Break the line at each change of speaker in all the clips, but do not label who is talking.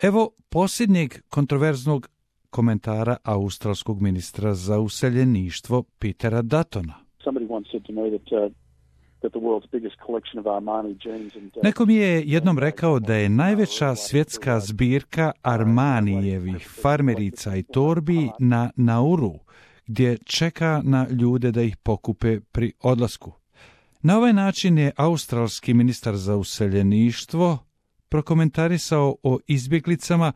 Evo posljednjeg kontroverznog komentara australskog ministra za useljeništvo Petera Duttona. Neko mi je jednom rekao da je najveća svjetska zbirka Armanijevih farmerica i torbi na Nauru, gdje čeka na ljude da ih pokupe pri odlasku. Na ovaj način je australski ministar za useljeništvo prokomentarisao o izbjeglicama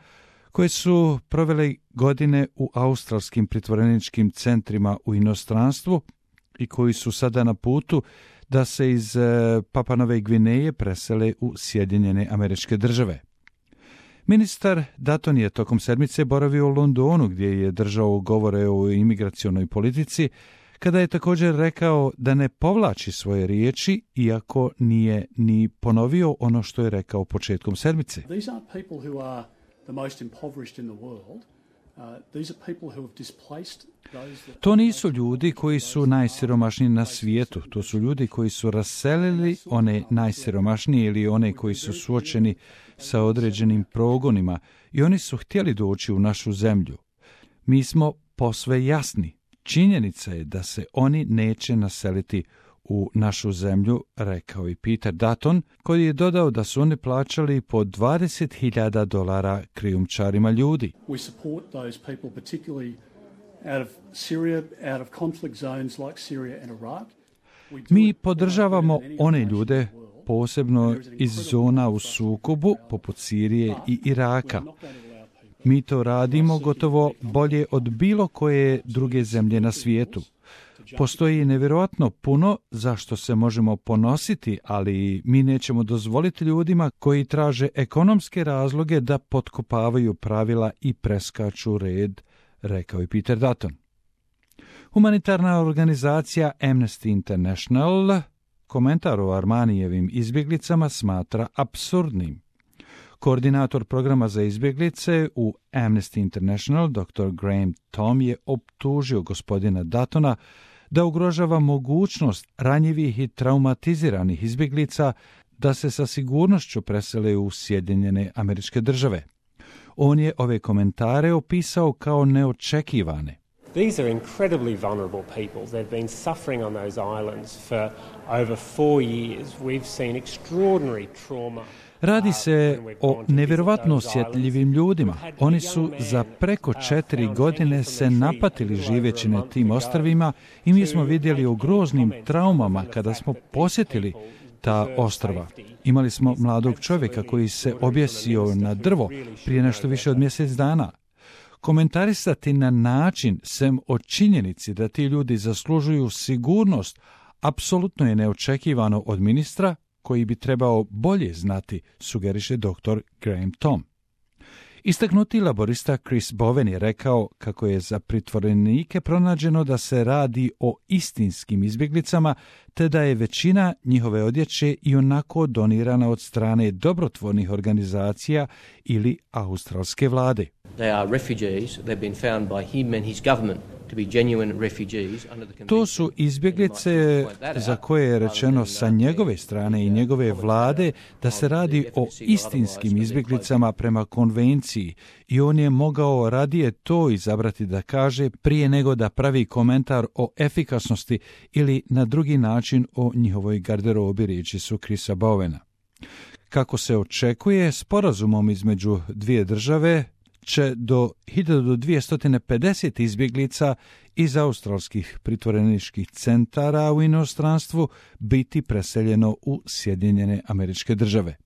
koje su provele godine u australskim pritvoreničkim centrima u inostranstvu i koji su sada na putu da se iz Papanove Gvineje presele u Sjedinjene Američke Države. Ministar Dutton je tokom sedmice boravio u Londonu gdje je držao govore o imigracionoj politici, kada je također rekao da ne povlači svoje riječi, iako nije ni ponovio ono što je rekao početkom sedmice. To nisu ljudi koji su najsiromašniji na svijetu, to su ljudi koji su raselili one najsiromašnije ili one koji su suočeni sa određenim progonima i oni su htjeli doći u našu zemlju. Mi smo posve jasni. Činjenica je da se oni neće naseliti u našu zemlju, rekao i Peter Dutton, koji je dodao da su oni plaćali po $20,000 krijumčarima ljudi.
We support those people particularly out of Syria, out of conflict zones like Syria and Iraq.
Mi podržavamo one ljude posebno iz zona u sukobu poput Sirije i Iraka. Mi to radimo gotovo bolje od bilo koje druge zemlje na svijetu. Postoji nevjerojatno puno zašto se možemo ponositi, ali mi nećemo dozvoliti ljudima koji traže ekonomske razloge da potkopavaju pravila i preskaču red, rekao je Peter Dutton. Humanitarna organizacija Amnesty International komentar o Armanijevim izbjeglicama smatra apsurdnim. Koordinator programa za izbjeglice u Amnesty International, dr. Graham Tom, je optužio gospodina Duttona da ugrožava mogućnost ranjivih i traumatiziranih izbjeglica da se sa sigurnošću presele u Sjedinjene Američke Države. On je ove komentare opisao kao neočekivane.
These are incredibly vulnerable people. They've been suffering on those islands for over 4 years. We've seen extraordinary trauma.
Radi se o nevjerovatno osjetljivim ljudima. Oni su za preko 4 godine se napatili živeći na tim ostrvima i mi smo vidjeli o groznim traumama kada smo posjetili ta ostrva. Imali smo mladog čovjeka koji se objesio na drvo prije nešto više od mjesec dana. Komentarisati na način sem o činjenici da ti ljudi zaslužuju sigurnost apsolutno je neočekivano od ministra koji bi trebao bolje znati, sugeriše dr. Graham Tom. Istaknuti laborista Chris Bowen je rekao kako je za pritvorenike pronađeno da se radi o istinskim izbjeglicama, te da je većina njihove odjeće i onako donirana od strane dobrotvornih organizacija ili australske vlade. To su izbjeglice za koje je rečeno sa njegove strane i njegove vlade da se radi o istinskim izbjeglicama prema konvenciji i on je mogao radije to izabrati da kaže prije nego da pravi komentar o efikasnosti ili na drugi način o njihovoj garderobi, riječi su Chrisa Bowena. Kako se očekuje, sporazumom između dvije države će do 1250 izbjeglica iz australskih pritvoreničkih centara u inostranstvu biti preseljeno u Sjedinjene Američke Države.